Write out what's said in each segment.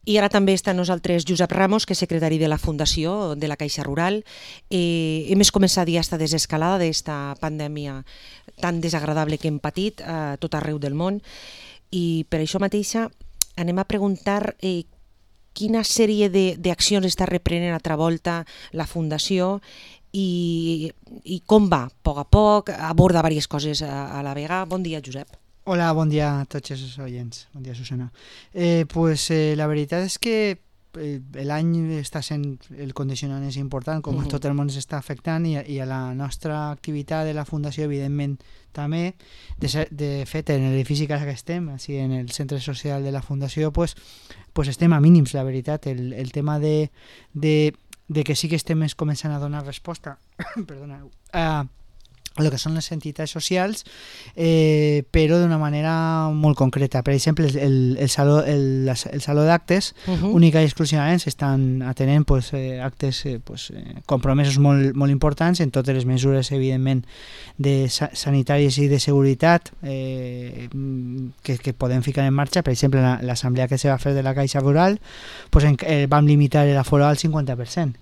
I ara també està amb nosaltres Josep Ramos, que és secretari de la Fundació de la Caixa Rural. Hem començat ja esta desescalada d'esta pandèmia tan desagradable que hem patit a tot arreu del món, i per això mateixa anem a preguntar quina sèrie d'accions està reprenent altra volta la Fundació i com va, a poc, aborda diverses coses a la vegada. Bon dia, Josep. Hola, bon dia a tots els oients. Bon dia, Susana. La veritat és que l'any està sent, el condicionant és important, com a tot el món s'està afectant, i a la nostra activitat de la Fundació, evidentment, també. De fet, en l'edifici que estem, així, en el centre social de la Fundació, pues estem a mínims, la veritat. El tema de que sí que estem començant a donar resposta perdoneu, a el que són les entitats socials, però d'una manera molt concreta. Per exemple, el saló d'actes, única i exclusivament s'estan atenent actes compromesos molt importants en totes les mesures, evidentment, sanitàries i de seguretat que podem ficar en marxa. Per exemple, l'assemblea que se va fer de la Caixa Rural, vam limitar l'aforo al 50%.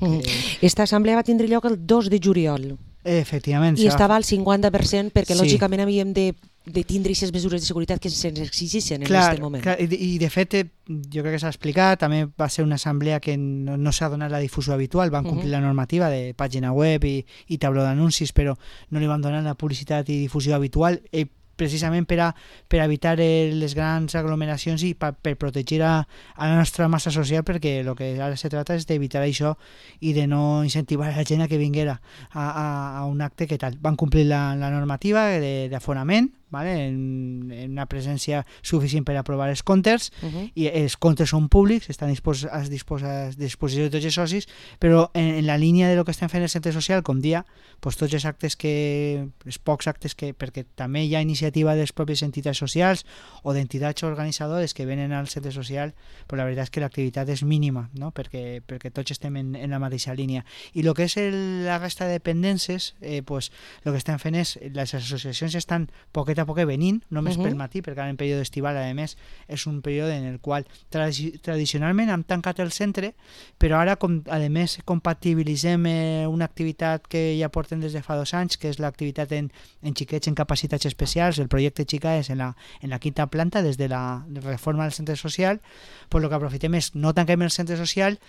Esta assemblea va tindre lloc el 2 de juliol. Efectivament. I estava al 50% perquè lògicament havíem de tindre aquestes mesures de seguretat que se'ns exigissin en aquest moment. Clar, i de fet jo crec que s'ha explicat, també va ser una assemblea que no s'ha donat la difusió habitual, van complir la normativa de pàgina web i tauló d'anuncis, però no li van donar la publicitat i difusió habitual, precisament per evitar les grans aglomeracions i per protegir a la nostra massa social, perquè el que ara se tracta és d'evitar això i de no incentivar a la gent a que vinguera a un acte que tal. Van complir la normativa d'aforament, en una presència suficient per aprovar els comptes, i els comptes són públics, estan a disposició de tots els socis, però en la línia de lo que estem fent el centre social, com dia, tots els actes els pocs actes perquè també hi ha iniciativa de les pròpies entitats socials o d'entitats organitzadores que venen al centre social, però la veritat és que l'activitat és mínima, no? perquè tots estem en la mateixa línia. I el que és la resta de dependències, el que estem fent és, les associacions estan poquet a poc venint, només pel matí, perquè ara en període estival, a més, és un període en el qual tradicionalment hem tancat el centre, però ara, a més, compatibilitzem una activitat que ja portem des de fa 2 anys, que és l'activitat en xiquets en capacitats especials, el projecte Xica és en la 5ª planta, des de la reforma del centre social. El que aprofitem és, no tanquem el centre social,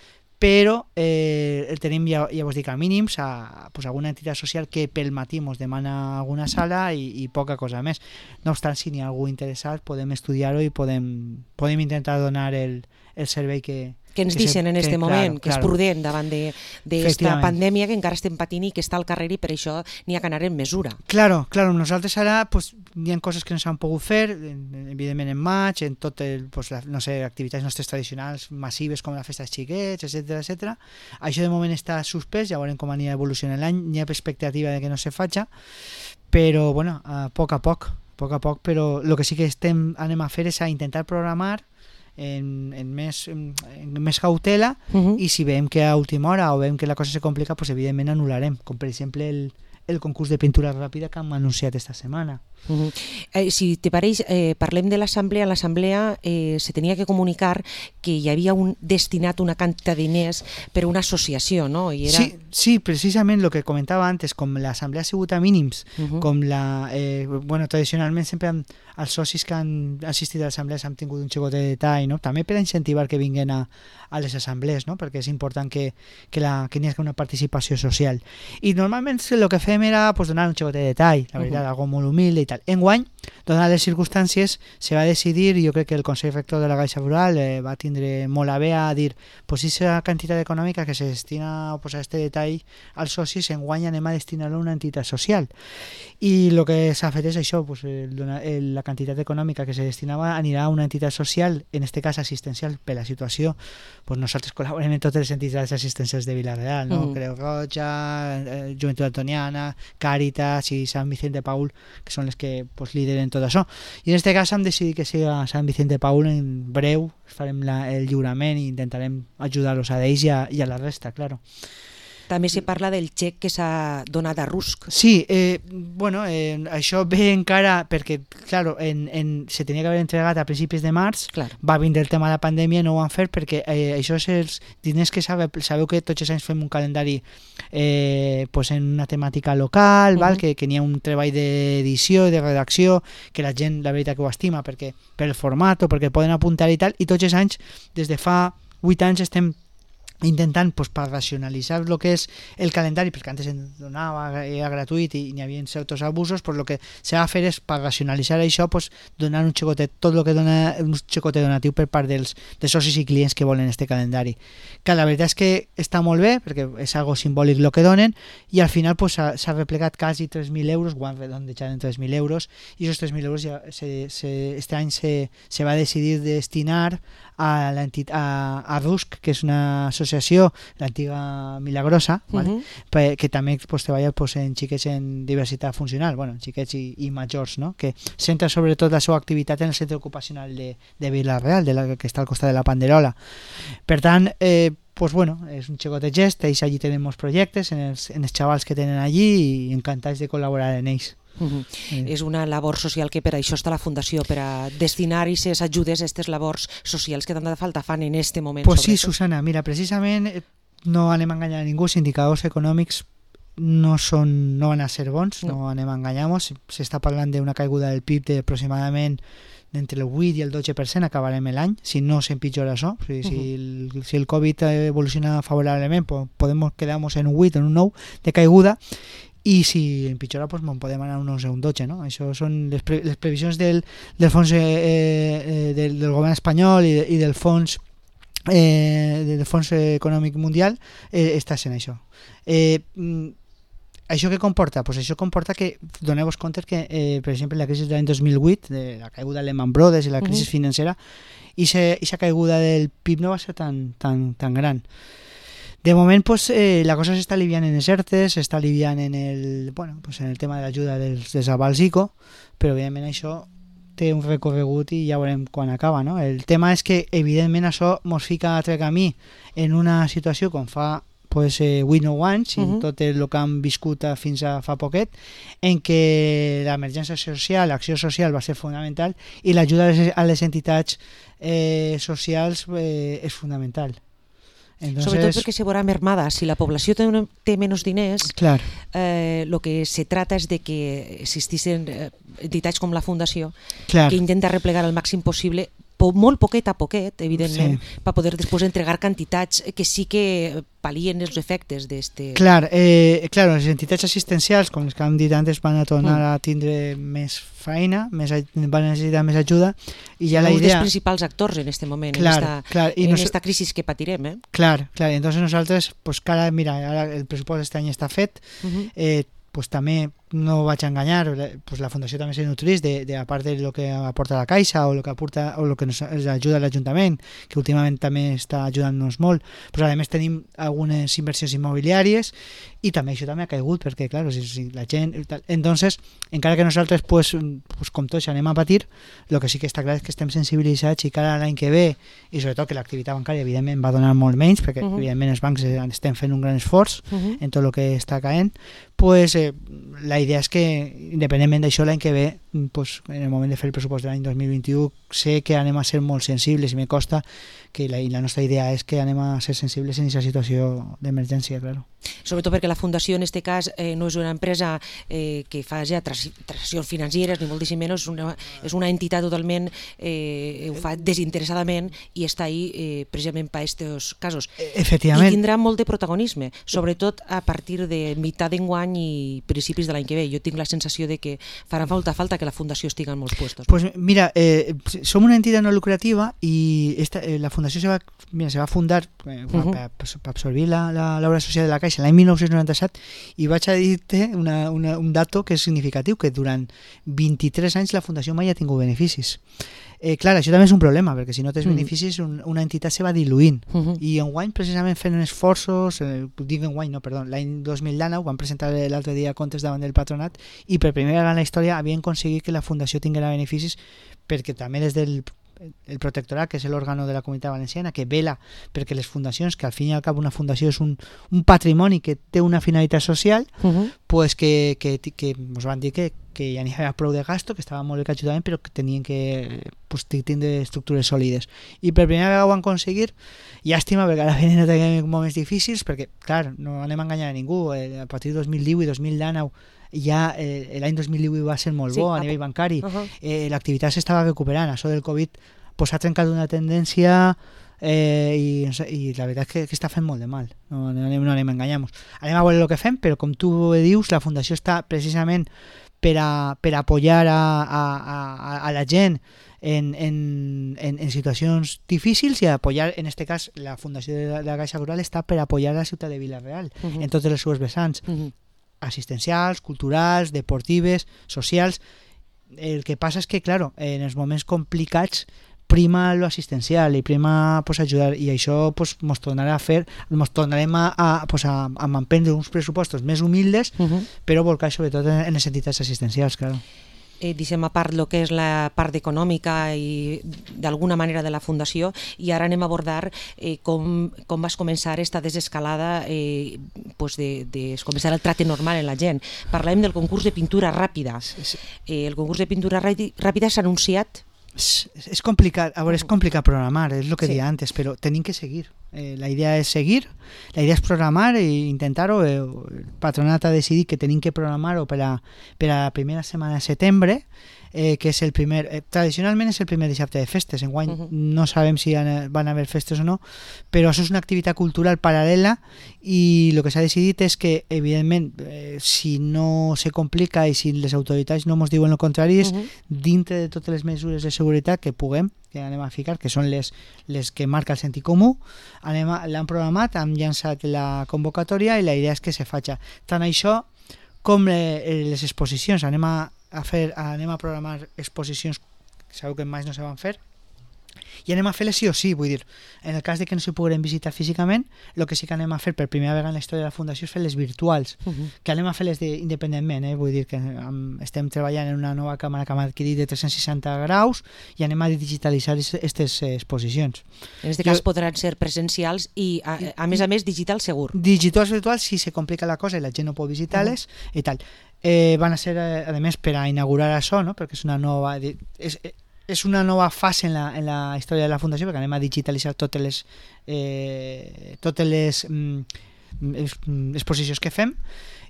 però el tenim, ja vos dic, a mínims, a alguna entitat social que pel matí ens demana alguna sala i poca cosa més. No obstant, si n'hi ha algú interessat, podem estudiar-ho i podem intentar donar el servei que ens deixen en aquest moment, que és prudent davant d'esta pandèmia que encara estem patint i que està al carrer, i per això n'hi ha que anar en mesura. Claro, nosaltres ara hi ha coses que no s'han pogut fer, evidentment en maig, en tot activitats nostres tradicionals massives com la festa dels xiquets, etc. Això de moment està suspès, ja veurem com anirà evolucionant l'any, n'hi ha expectativa de que no se faci, però a poc a poc, però el que sí que anem a fer és a intentar programar en més cautela, i si veiem que a última hora o veiem que la cosa se complica, evidentment anul·larem, com per exemple el concurs de pintura ràpida que hem anunciat esta setmana. Si te pareix, parlem de l'assemblea. A l'assemblea se tenia que comunicar que hi havia destinat una quantitat de diners per a una associació, no? I era... Sí, precisament el que comentava antes, com l'assemblea ha sigut a mínims, com tradicionalment sempre els socis que han assistit a l'assemblea han tingut un xicotet de detall, no? També per incentivar que vinguin a les assemblees, no? Perquè és important que n'hi hagi una participació social. I normalment el que fem era donar un xicotet de detall, la veritat, algo molt humil i tal. Enguany, donades les circumstàncies, se va decidir, i jo crec que el Consell Rector de la Caixa Rural va tindre molt a bé a dir, aquesta quantitat econòmica que se destina a posar este detall als socis, enguany anem a destinar-lo a una entitat social. I el que s'ha fet és això, la quantitat econòmica que se destinava anirà a una entitat social, en aquest cas assistencial, per la situació. Nosaltres col·laborem en totes les entitats assistencials de Vila-real, no? Creu Roja, Joventut Antoniana, Càritas i Sant Vicent de Paul, que són les que lideren tot això. I en aquest cas hem decidit que sigui a Sant Vicent de Paul. En breu farem el lliurament i intentarem ajudar-los a ells i a la resta, claro. També se parla del xec que s'ha donat a Rusk. Sí, això ve encara perquè, claro, se tenia que haver entregat a principis de març, va vindre el tema de la pandèmia, no ho van fer perquè això és els diners que sabeu que tots els anys fem un calendari en una temàtica local, val? Que n'hi ha un treball d'edició, de redacció, que la gent, la veritat, que ho estima per el format o perquè poden apuntar i tal, i tots els anys, des de fa 8 anys, estem intentant per racionalitzar el que és el calendari, perquè antes es donava, era gratuït i n'hi havia certs abusos, el que s'ha de fer és per racionalitzar això, donar un xicotet, tot el que dona un xicotet donatiu per part dels socis i clients que volen este calendari, que la veritat és que està molt bé perquè és algo simbòlic el que donen, i al final s'ha replegat quasi 3.000 euros, ho han redondejat en 3.000 euros, i aquests 3.000 euros ja este any se va decidir destinar a Rusk, que és una associació, l'antiga Milagrosa, que també treballa en xiquets en diversitat funcional, xiquets i majors, no? Que centra sobretot la seva activitat en el centre ocupacional de Vila-real, que està al costat de la Panderola. Per tant, és un xicotet gest, ells allí tenen molts projectes, en els xavals que tenen allí, i encantats de col·laborar en ells. És una labor social que per això està la Fundació, per a destinar aquestes ajudes a aquestes labors socials que tanta falta fan en aquest moment. Pues sí, Susana, mira, precisament no anem a enganyar a ningú, els indicadors econòmics no van a ser bons, no anem a enganyar-nos, s'està parlant d'una caiguda del PIB d'aproximadament entre el 8 i el 12%, acabarem l'any, si no s'empitjora això, si el Covid evoluciona favorablement, podem quedar-nos en un 8 o en un 9 de caiguda, i si empitjora podem anar a un 11 o un 12, no? Això són les previsions del fons del govern espanyol i del fons econòmic mundial, està sent això. Això què comporta? Això comporta que, doneu-vos compte que, per exemple, la crisi de l'any 2008, de la caiguda de Lehman Brothers i la crisi financera, i aquesta caiguda del PIB no va ser tan gran. De moment, la cosa s'està aliviant en els ERTEs, s'està aliviant en el tema de l'ajuda dels avals ICO, però evidentment això té un recorregut i ja veurem quan acaba, no? El tema és que, evidentment, això ens fica a altre camí en una situació com fa 8 o 9 anys, i tot el que han viscut fins a fa poquet, en què l'emergència social, l'acció social va ser fonamental, i l'ajuda a les entitats socials és fonamental. Entonces, sobretot perquè se veurà mermada. Si la població té menys diners, lo que se trata és de que existissin entitats com la Fundació que intenta replegar al màxim possible, molt poquet a poquet, evidentment, per poder després entregar quantitats que sí que palien els efectes d'este... Clar, les entitats assistencials, com les que hem dit antes, van a tornar a tindre més feina, van a necessitar més ajuda, i ja la idea... Un dels principals actors en aquest moment, en esta crisi que patirem. Clar, entonces nosaltres, mira, ara el pressupost aquest any està fet, també no vaig a enganyar, la Fundació també se nutreix a part del que aporta la Caixa o el que aporta o el que ens ajuda l'Ajuntament, que últimament també està ajudant-nos molt, però a més tenim algunes inversions immobiliàries i també això també ha caigut perquè, clar, si la gent... Entonces, encara que nosaltres, com tots, anem a patir, el que sí que està clar és que estem sensibilitzats i cada l'any que ve, i sobretot que l'activitat bancària, evidentment, va donar molt menys, perquè, evidentment, els bancs estem fent un gran esforç en tot el que està caent, la idea és que, independentment d'això, l'any que ve, en el moment de fer el pressupost de l'any 2021, sé que anem a ser molt sensibles i me costa que la nostra idea és que anem a ser sensibles en aquesta situació d'emergència, clar. Sobretot perquè la Fundació, en aquest cas, no és una empresa que fa ja transaccions financeres, ni moltíssim menys, és una entitat totalment, ho fa desinteressadament i està ahí precisament per aquests casos. Efectivament. I tindrà molt de protagonisme, sobretot a partir de mitjà d'enguany i principis de l'any que ve. Jo tinc la sensació de que farà falta que la Fundació estigui en molts puestos. Pues mira, som una entitat no lucrativa i la Fundació se va fundar per absorbir l'obra social de la Caixa l'any 1997 i vaig a dir-te un dato que és significatiu, que durant 23 anys la Fundació mai ha tingut beneficis. Clar, això també és un problema, perquè si no tens beneficis una entitat se va diluint i enguany precisament fent esforços, l'any 2019 van presentar l'altre dia comptes davant del patronat i per primera vegada en la història havien aconseguit que la Fundació tinguera beneficis, perquè també des del el protectorat, que és l'òrgan de la Comunitat Valenciana, que vela perquè les fundacions, que al fin i al cap una fundació és un patrimoni que té una finalitat social, pues que ens van dir que ja n'hi havia prou de gasto, que estava molt bé que ajudaven, però que tenien que tindre estructures sòlides. I per primera vegada ho van aconseguir. Llàstima, perquè ara venen moments difícils, perquè, clar, no anem a enganyar a ningú. A partir de 2010 i 2019 ja l'any 2018 va ser molt bo a nivell bancari. L'activitat s'estava recuperant. Això del Covid ha trencat una tendència i la veritat és que està fent molt de mal. No anem a enganyar-nos. Anem a veure el que fem, però com tu dius, la fundació està precisament per apoyar a la gent en situacions difícils i apoyar, en este cas, la Fundació de la Caixa Rural està per apoyar la ciutat de Vila-real en totes les seves vessants, assistencials, culturals, deportives, socials. El que passa és que, claro, en els moments complicats prima lo assistencial i prima ajudar, i això ens tornarem a emprendre uns pressupostos més humildes, però volcar sobretot en les entitats assistencials, claro. Deixem a part el que és la part econòmica i d'alguna manera de la fundació, i ara anem a abordar com vas començar aquesta desescalada de començar el tracte normal en la gent. Parlem del concurs de pintura ràpida. El concurs de pintura ràpida s'ha anunciat. És complicat, a veure, és complicat programar, és el que deia antes, però tenim que seguir. La idea és seguir, la idea és programar i intentar-ho. El patronat ha decidit que tenim que programar-ho per a la primera setmana de setembre, que és el primer, tradicionalment és el primer dissabte de festes. Enguany no sabem si van haver festes o no, però això és una activitat cultural paral·lela, i el que s'ha decidit és que, evidentment, si no se complica i si les autoritats no ens diuen el contrari, és dintre de totes les mesures de seguretat que puguem, que anem a ficar, que són les que marca el sentit comú, l'han programat, hem llançat la convocatòria i la idea és que se faci tant això com les exposicions. Anem a programar exposicions que sabeu que mai no se van fer, i anem a fer-les sí o sí, vull dir, en el cas de que no s'hi poguem visitar físicament, el que sí que anem a fer per primera vegada en la història de la Fundació és fer-les virtuals, que anem a fer-les independentment, vull dir que estem treballant en una nova càmera que hem adquirit de 360 graus i anem a digitalitzar aquestes exposicions. En aquest cas podran ser presencials i, a més, digital segur. Digitals virtuals, si se complica la cosa i la gent no pot visitar-les i tal. Van a ser, a més, per a inaugurar això, no? Perquè és una nova fase en la història de la Fundació, perquè anem a digitalitzar totes les exposicions que fem,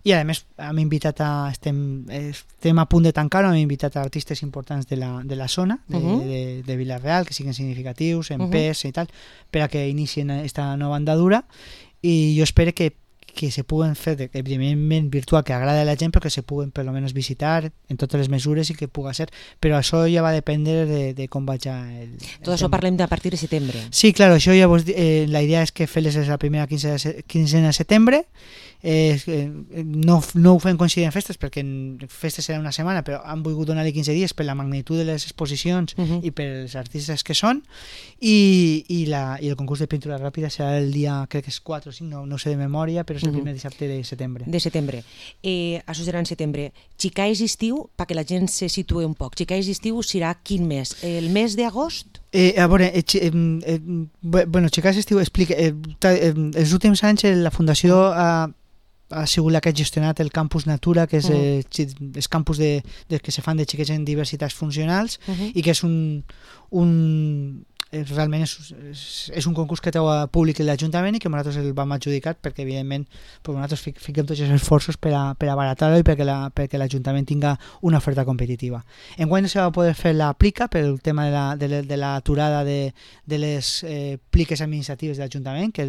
i a més estem a punt de tancar-ho, hem invitat a artistes importants de la zona de Vila-real, que siguin significatius, en pes i tal, per a que inicien aquesta nova andadura, i jo espero que se puguen fer, evidentment virtual, que agrada a la gent, però que se puguen per almenys visitar en totes les mesures i que puga ser. Però això ja va dependre de com vaig Tot això parlem de a partir de setembre. Sí, clar, això ja la idea és que fer-les la primera quinzena de setembre. No ho fem coincidir en festes, perquè festes serà una setmana, però han volgut donar-li 15 dies per la magnitud de les exposicions i per els artistes que són, i el concurs de pintura ràpida serà el dia, crec que és 4 o 5, no sé de memòria, però és el primer dissabte de setembre. Això serà en setembre. Xicais estiu, perquè la gent se situï un poc, Xicais estiu serà quin mes? El mes d'agost? A veure, Xicais estiu explica, els últims anys la Fundació ha sigut la que ha gestionat el Campus Natura, que és els campus que se fan de xiquets en diversitats funcionals, i que és realment és un concurs que treu a públic l'Ajuntament i que nosaltres el vam adjudicar perquè evidentment nosaltres fiquem tots els esforços per abaratar-ho i perquè l'Ajuntament tinga una oferta competitiva. Enguany no se va poder fer la plica pel tema de l'aturada de les pliques administratives de l'Ajuntament, que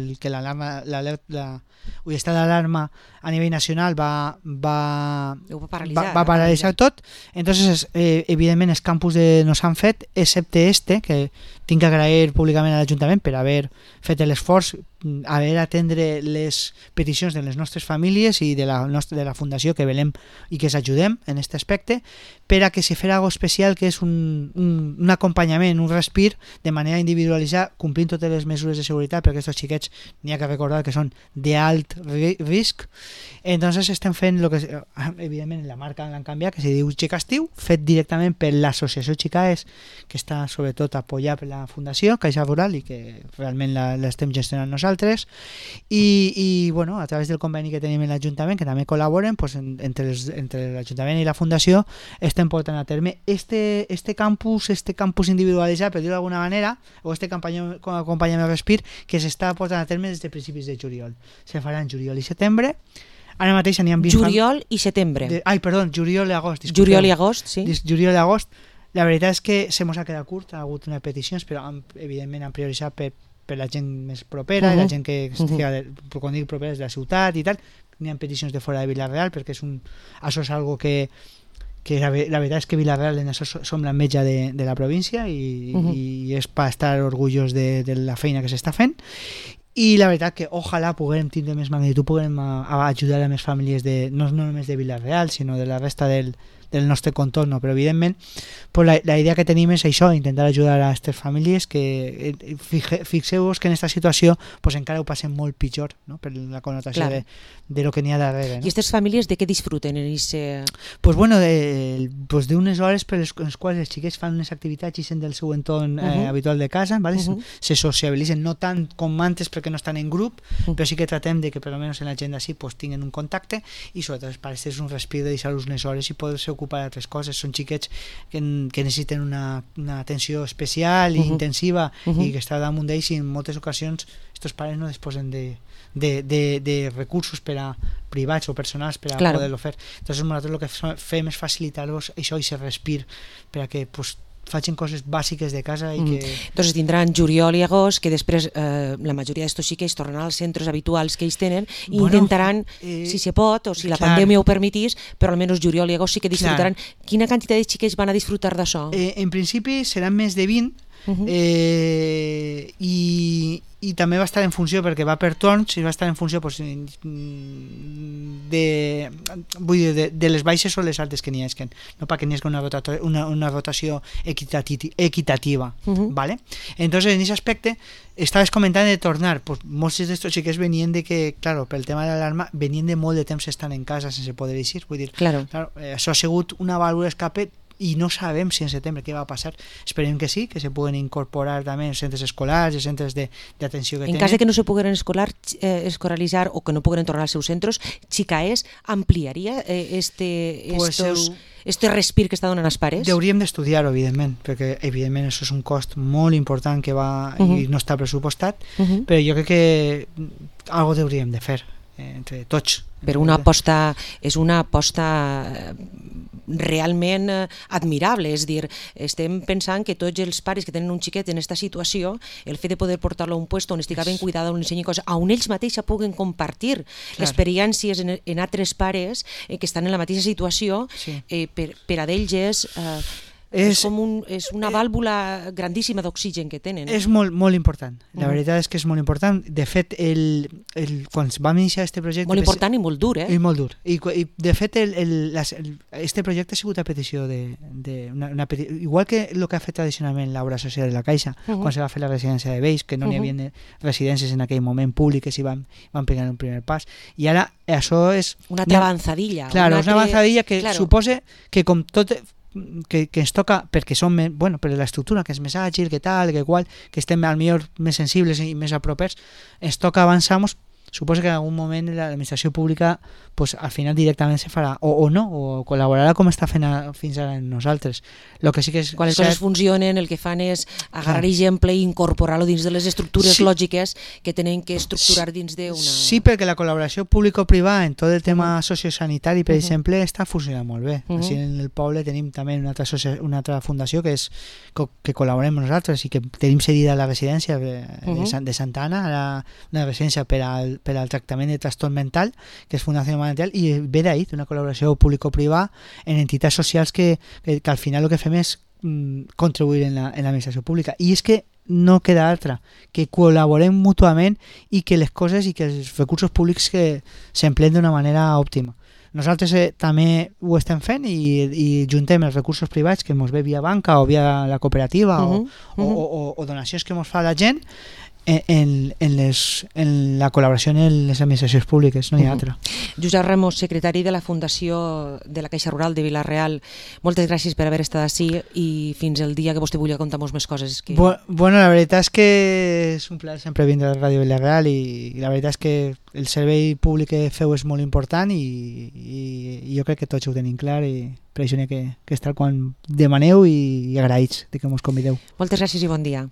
l'estat d'alarma a nivell nacional va paralitzar tot. Entonces evidentment els campus no s'han fet, excepte que tinc que agrair públicament a l'Ajuntament per haver fet l'esforç, haver atendre les peticions de les nostres famílies i de la Fundació, que velem i que s'ajudem en aquest aspecte, per a que se fes algo especial, que és un acompanyament, un respir de manera individualitzada, complint totes les mesures de seguretat, perquè aquests xiquets n'hi ha que recordar que són d'alt risc, Entonces estem fent lo que evidentment la marca l'han canviat, que se diu Xicastiu, fet directament per l'associació Xicaes, que està sobretot apoyada per la Fundació Caixa Rural i que realment l'estem gestionant nosaltres, i bueno, a través del conveni que tenim en l'Ajuntament, que també col·laboren, pues, entre l'Ajuntament i la Fundació estem portant a terme este campus individualitzat, per dir-ho d'alguna manera, o este acompanyament Respir, que s'està portant a terme des de principis de juliol. Se farà en juliol i setembre. Ara mateix n'hi ha 20... Juliol i setembre. Juliol i agost. Juliol i agost, sí. Juliol i agost. La veritat és que se mos ha quedat curt, ha hagut unes peticions, però evidentment han prioritzat per la gent més propera, la gent que quan dic propera és de la ciutat i tal. N'hi ha peticions de fora de Vila-real, perquè això és algo que la veritat és que Vila-real en això som l'enveja de la província i és per estar orgullosos de la feina que s'està fent, i la veritat que ojalà puguem tindre més magnitud, puguem ajudar a més famílies no només de Vila-real sinó de la resta del nostre contorn, però evidentment pues la idea que tenim és això, intentar ajudar a aquestes famílies que fixeu-vos que en aquesta situació pues encara ho passem molt pitjor, no? Per la connotació de lo que n'hi ha darrere, no? I aquestes famílies de què disfruten en ese... Pues bueno, d'unes hores per les quals els xiquets fan unes activitats i sent del seu entorn habitual de casa, ¿vale? Se sociabilitzen, no tant com antes perquè no estan en grup, però sí que tratem de que per almenys en l'agenda sí pues tinguin un contacte, i sobretot els pares és un respir de deixar-los unes hores i poder-se ocupar d'altres coses. Són xiquets que necessiten una atenció especial i intensiva i que està damunt d'ells, i en moltes ocasions estos pares no disposen de recursos privats o personals per a poder-lo fer. Entonces nosaltres el que fem és facilitar-los això i se respir per a que facin coses bàsiques de casa i que... Entonces tindran juliol i agost, que després la majoria d'estos xiquets tornaran als centres habituals que ells tenen i intentaran, si se pot o si la pandèmia ho permetís, però almenys juliol i agost sí que disfrutaran. Quina quantitat de xiquets van a disfrutar d'això? En principi seran més de 20, i també va estar en funció, perquè va per torns, i va estar en funció de les baixes o les altes que n'hi hagi, no perquè n'hi hagi una rotació equitativa, ¿vale? Entonces en ese aspecte estaves comentant de tornar, pues molts d'estos xiquets venien de que, claro, pel tema de l'alarma venien de molt de temps estant en casa sense poder eixir, vull dir, això ha sigut una vàlvula d'escape i no sabem si en setembre què va passar. Esperem que sí, que se puguen incorporar també en centres escolars i centres d'atenció que tenen. En cas de que no se puguen escolaritzar o que no puguen tornar als seus centres, Xicaes ampliaria este respir que està donant als pares? Hauríem d'estudiar-ho, evidentment, perquè evidentment això és un cost molt important que va i no està pressupostat, però jo crec que algo hauríem de fer entre tots. Però és una aposta realment admirable, és dir, estem pensant que tots els pares que tenen un xiquet en aquesta situació, el fet de poder portar-lo a un lloc on estigui ben cuidada, on ensenyi coses, on ells mateixos puguen compartir experiències en altres pares que estan en la mateixa situació, per a d'ells és una vàlvula grandíssima d'oxigen que tenen. És molt important, la veritat és que és molt important. De fet, quan vam iniciar aquest projecte... Molt important i molt dur, I molt dur. I de fet, este projecte ha sigut a petició igual que el que ha fet tradicionalment l'obra social de la Caixa, quan se va fer la residència de Vells, que no n'hi havia residències en aquell moment públiques i van pegar un primer pas. I ara això és... Una altra avançadilla. Claro, és una avançadilla que suposa que com tot... que ens toca, perquè som per l'estructura, que és més àgil, que tal, que qual, que estem al millor més sensibles i més apropers, ens toca avançar. Suposo que en algun moment l'administració pública pues, al final directament se farà o no, o col·laborarà com està fent fins ara en nosaltres. Lo que sí que és quan les coses funcionen, el que fan és agarrar exemple i incorporar-lo dins de les estructures lògiques que tenen que estructurar dins d'una... Sí, perquè la col·laboració público-privada en tot el tema sociosanitari, per exemple, està funcionant molt bé. Així en el poble tenim també una altra fundació que col·laborem amb nosaltres i que tenim cedida a la residència de Santa Anna, una residència per al tractament de trastorn mental, que és Fundació Mental, i ve d'ahir, d'una col·laboració público-privada en entitats socials que al final el que fem és contribuir en l'administració pública. I és que no queda altra, que col·laborem mútuament i que les coses i que els recursos públics que s'empleen d'una manera òptima. Nosaltres també ho estem fent i juntem els recursos privats que ens ve via banca o via la cooperativa o donacions que ens fa la gent, en la col·laboració en les administracions públiques, no hi ha altra. Josep Ramos, secretari de la Fundació de la Caixa Rural de Vila-real, moltes gràcies per haver estat ací i fins el dia que vostè vulgui contar-nos més coses. Bueno, la veritat és que és un plaer sempre vindre a la Ràdio Vila-real i la veritat és que el servei públic que feu és molt important i jo crec que tots ho tenim clar i per això n'hi ha que estar quan demaneu i agraïts de que ens convideu. Moltes gràcies i bon dia.